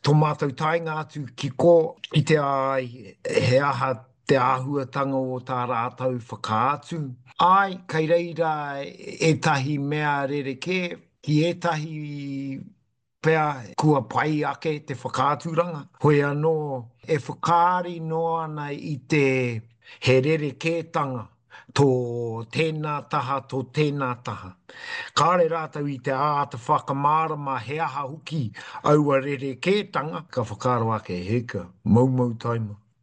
Tō mātou taenga atu ki kō, kitea ai he aha te āhuatanga o tā rātou whakaatu. Āe, kei reira ētahi mea rerekē, ki ētahi pea kua pai ake te whakaaturanga. Hoi anō, e whakaari noa ana i te he rerekētanga tō tēnā taha, tō tēnā taha. Kāore rātou i te āta whakamārama he aha hoki aua rerekētanga, ka whakaaro ake, hika, moumou taima.